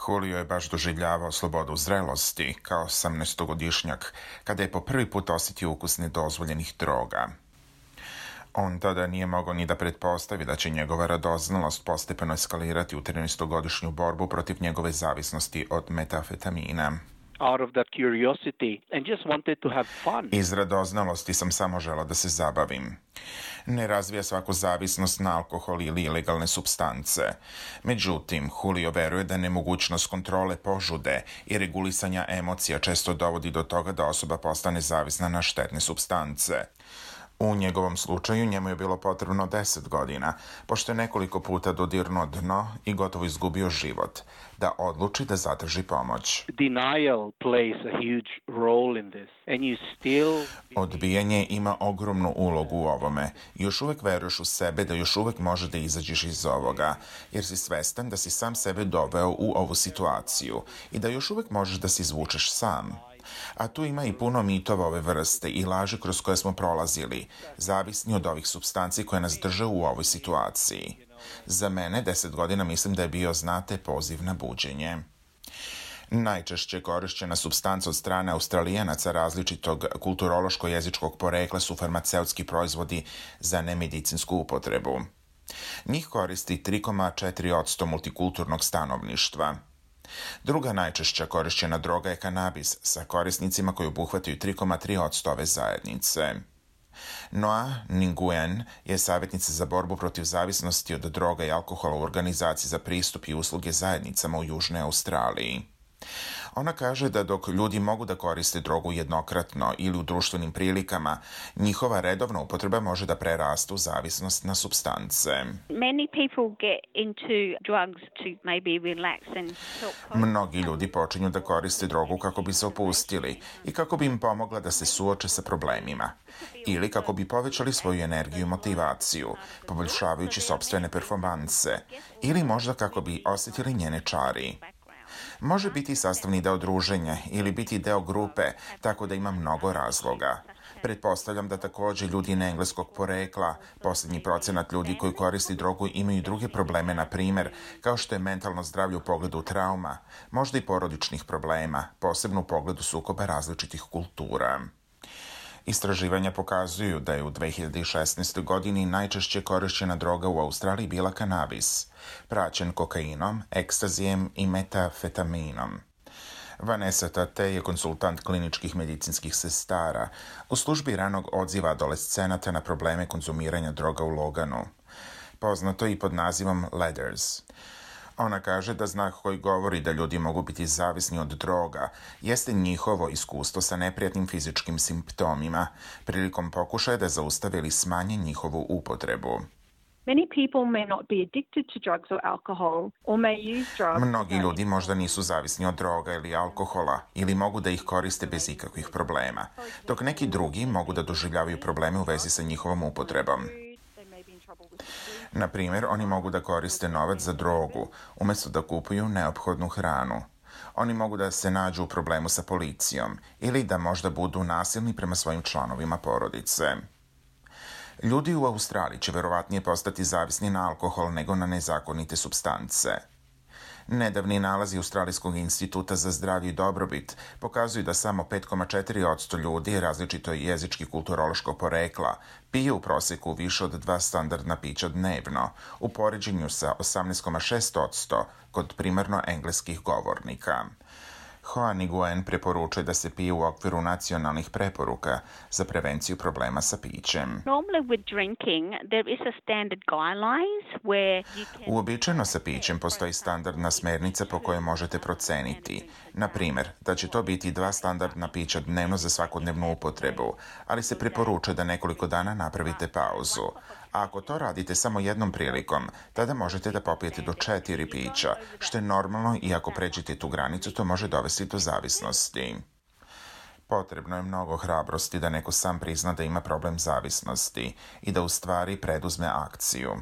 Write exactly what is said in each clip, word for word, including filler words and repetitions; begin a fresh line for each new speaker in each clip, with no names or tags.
Julio je baš doživljavao slobodu zrelosti kao osamnaestogodišnjak kada je po prvi put osjetio ukus nedozvoljenih droga. On tada nije mogao ni da pretpostavi da će njegova radoznalost postepeno eskalirati u trinaestogodišnju borbu protiv njegove zavisnosti od metamfetamina.
Out of that curiosity and just wanted to have fun.
Iz radoznalosti sam samo želao da se zabavim. Ne razvija svaku zavisnost na alkohol ili ilegalne supstance. Međutim, Julio veruje da nemogućnost kontrole požude i regulisanja emocija često dovodi do toga da osoba postane zavisna na štetne supstance. U njegovom slučaju njemu je bilo potrebno deset godina, pošto je nekoliko puta dodirnuo dno i gotovo izgubio život, da odluči da zatraži pomoć.
Denial plays a huge role in this, and you still...
Odbijanje ima ogromnu ulogu u ovome. Još uvek veruješ u sebe da još uvek može da izađeš iz ovoga, jer si svestan da si sam sebe doveo u ovu situaciju i da još uvek možeš da se izvučeš sam. A tu ima i puno mitova ove vrste i laži kroz koje smo prolazili, zavisni od ovih supstanci koje nas drže u ovoj situaciji. Za mene deset godina mislim da je bio, znate, poziv na buđenje. Najčešće korišćena supstanca od strane Australijanaca različitog kulturološko-jezičkog porekla su farmaceutski proizvodi za nemedicinsku upotrebu. Njih koristi tri zarez četiri posto multikulturnog stanovništva. Druga najčešća korišćena droga je kanabis sa korisnicima koji obuhvataju tri zarez tri posto ove zajednice. Noa Nguyen je savjetnica za borbu protiv zavisnosti od droga i alkohola u organizaciji za pristup i usluge zajednicama u Južnoj Australiji. Ona kaže da dok ljudi mogu da koriste drogu jednokratno ili u društvenim prilikama, njihova redovna upotreba može da preraste u zavisnost na supstance.
Many people get into drugs to maybe relax and help.
Mnogi ljudi počinju da koriste drogu kako bi se opustili i kako bi im pomogla da se suoče sa problemima. Ili kako bi povećali svoju energiju i motivaciju, poboljšavajući sopstvene performanse. Ili možda kako bi osjetili njene čari. Može biti sastavni deo druženja ili biti deo grupe, tako da ima mnogo razloga. Pretpostavljam da također ljudi engleskog porekla, posljednji procenat ljudi koji koristi drogu imaju druge probleme, na primjer, kao što je mentalno zdravlje u pogledu trauma, možda i porodičnih problema, posebno u pogledu sukoba različitih kultura. Istraživanja pokazuju da je u dve hiljade šesnaestoj. godini najčešće korišćena droga u Australiji bila kanabis, praćen kokainom, ekstazijem i metafetaminom. Vanessa Tate je konsultant kliničkih medicinskih sestara u službi ranog odziva adolescenata na probleme konzumiranja droga u Loganu, poznato i pod nazivom Ladders. Ona kaže da znak koji govori da ljudi mogu biti zavisni od droga jeste njihovo iskustvo sa neprijatnim fizičkim simptomima prilikom pokušaja da zaustave ili smanje njihovu upotrebu.
Many people may not be addicted to drugs or alcohol or may use drugs.
Mnogi ljudi možda nisu zavisni od droga ili alkohola ili mogu da ih koriste bez ikakvih problema, dok neki drugi mogu da doživljavaju probleme u vezi sa njihovom upotrebom. Na primjer, oni mogu da koriste novac za drogu, umjesto da kupuju neophodnu hranu. Oni mogu da se nađu u problemu sa policijom ili da možda budu nasilni prema svojim članovima porodice. Ljudi u Australiji će verovatnije postati zavisni na alkohol nego na nezakonite supstance. Nedavni nalazi Australijskog instituta za zdravlje i dobrobit pokazuju da samo pet zarez četiri posto ljudi različito jezički kulturološkog porekla pije u prosjeku više od dva standardna pića dnevno, u poređenju sa osamnaest zarez šest posto kod primarno engleskih govornika. Noa Nguyen preporučuje da se pije u okviru nacionalnih preporuka za prevenciju problema sa pićem.
Normally with drinking there is a standard guidelines where you can...
Uobičajeno sa pićem postoji standardna smernica po kojoj možete proceniti. Na primjer, da će to biti dva standardna pića dnevno za svakodnevnu upotrebu, ali se preporučuje da nekoliko dana napravite pauzu. A ako to radite samo jednom prilikom, tada možete da popijete do četiri pića, što je normalno i ako pređete tu granicu, to može dovesti do zavisnosti. Potrebno je mnogo hrabrosti da neko sam prizna da ima problem zavisnosti i da u stvari preduzme akciju.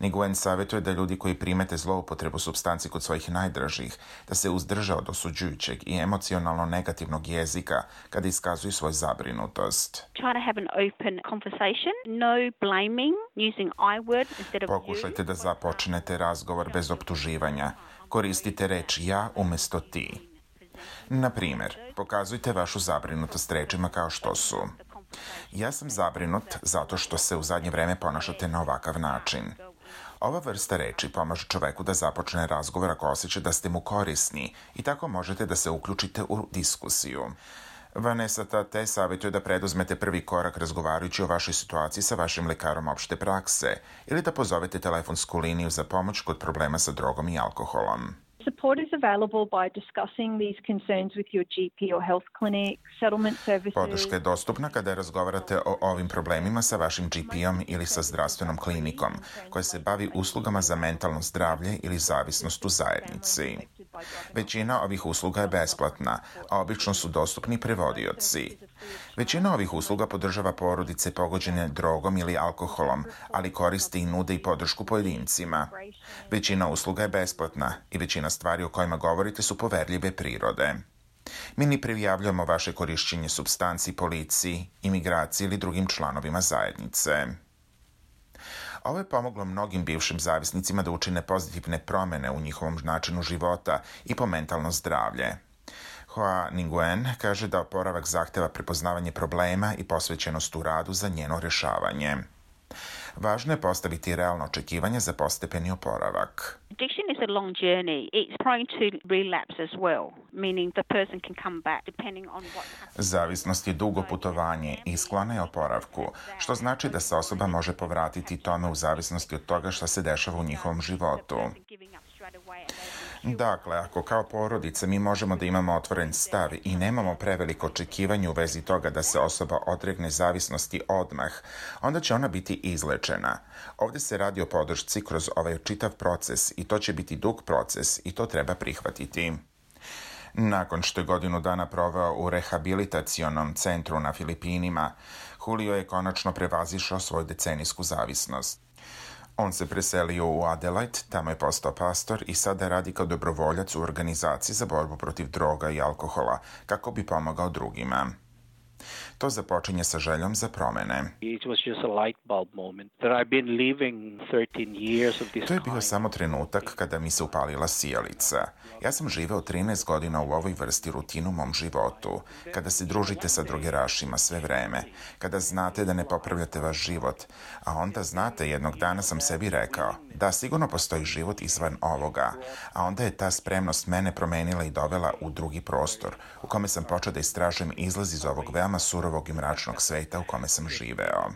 Nguyen savjetuje da ljudi koji primete zloupotrebu supstanci kod svojih najdražih, da se uzdrže od osuđujućeg i emocionalno negativnog jezika kada iskazuju svoju zabrinutost.
Try to have an open conversation, no blaming, using I word instead of you.
Pokušajte da započnete razgovor bez optuživanja. Koristite reč ja umjesto ti. Na primjer, pokazujte vašu zabrinutost rečima kao što su: ja sam zabrinut zato što se u zadnje vreme ponašate na ovakav način. Ova vrsta reči pomaže čoveku da započne razgovor ako osjeća da ste mu korisni i tako možete da se uključite u diskusiju. Vanessa Tate savjetuje da preduzmete prvi korak razgovarajući o vašoj situaciji sa vašim lekarom opšte prakse ili da pozovete telefonsku liniju za pomoć kod problema sa drogom i alkoholom.
Support is available by discussing these concerns with your G P or health clinic, settlement services.
Podrška je dostupna kada razgovarate o ovim problemima sa vašim G P-om ili sa zdravstvenom klinikom, koja se bavi uslugama za mentalno zdravlje ili zavisnost u zajednici. Većina ovih usluga je besplatna, a obično su dostupni prevodioci. Većina ovih usluga podržava porodice pogođene drogom ili alkoholom, ali koristi i nude i podršku pojedincima. Većina usluga je besplatna i većina stvari o kojima govorite su poverljive prirode. Mi ne prijavljujemo vaše korišćenje supstanci policiji, imigraciji ili drugim članovima zajednice. Ovo je pomoglo mnogim bivšim zavisnicima da učine pozitivne promjene u njihovom načinu života i po mentalno zdravlje. Hoa Nguyen kaže da oporavak zahteva prepoznavanje problema i posvećenost u radu za njeno rješavanje. Važno je postaviti realno očekivanje za postepeni oporavak.
Addiction is a long journey. It's prone to relapse as well, meaning the person can come back depending on what happens.
Zavisnost je dugo putovanje i sklona je oporavku, što znači da se osoba može povratiti tome u zavisnosti od toga što se dešava u njihovom životu. Dakle, ako kao porodica mi možemo da imamo otvoren stav i nemamo preveliko očekivanje u vezi toga da se osoba odregne zavisnosti odmah, onda će ona biti izlečena. Ovdje se radi o podršci kroz ovaj čitav proces i to će biti dug proces i to treba prihvatiti. Nakon što je godinu dana proveo u rehabilitacionom centru na Filipinima, Julio je konačno prevazišao svoju decenijsku zavisnost. On se preselio u Adelaide, tamo je postao pastor i sada radi kao dobrovoljac u organizaciji za borbu protiv droga i alkohola, kako bi pomogao drugima. To započinje sa željom za promene. To je bio samo trenutak kada mi se upalila sijalica. Ja sam živeo trinaest godina u ovoj vrsti rutinu u mom životu. Kada se družite sa drogerašima sve vreme, kada znate da ne popravljate vaš život, a onda znate, jednog dana sam sebi rekao da sigurno postoji život izvan ovoga, a onda je ta spremnost mene promenila i dovela u drugi prostor, u kome sam počeo da istražujem izlaz iz ovog veoma surovog i mračnog sveta u kome sam živeo.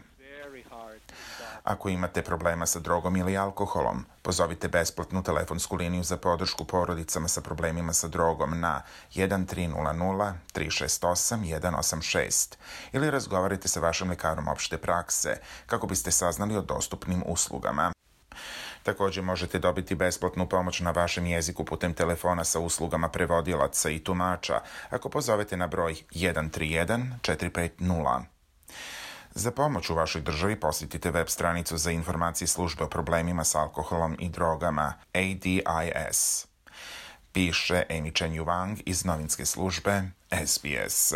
Ako imate problema sa drogom ili alkoholom, pozovite besplatnu telefonsku liniju za podršku porodicama sa problemima sa drogom na jedan tri nula nula tri šest osam jedan osam šest ili razgovarajte sa vašim lekarom opšte prakse kako biste saznali o dostupnim uslugama. Također možete dobiti besplatnu pomoć na vašem jeziku putem telefona sa uslugama prevodilaca i tumača ako pozovete na broj jedan tri jedan četiri pet nula. Za pomoć u vašoj državi posjetite web stranicu za informacije službe o problemima s alkoholom i drogama A D I S. Piše Amy Chen Wang iz novinske službe S B S.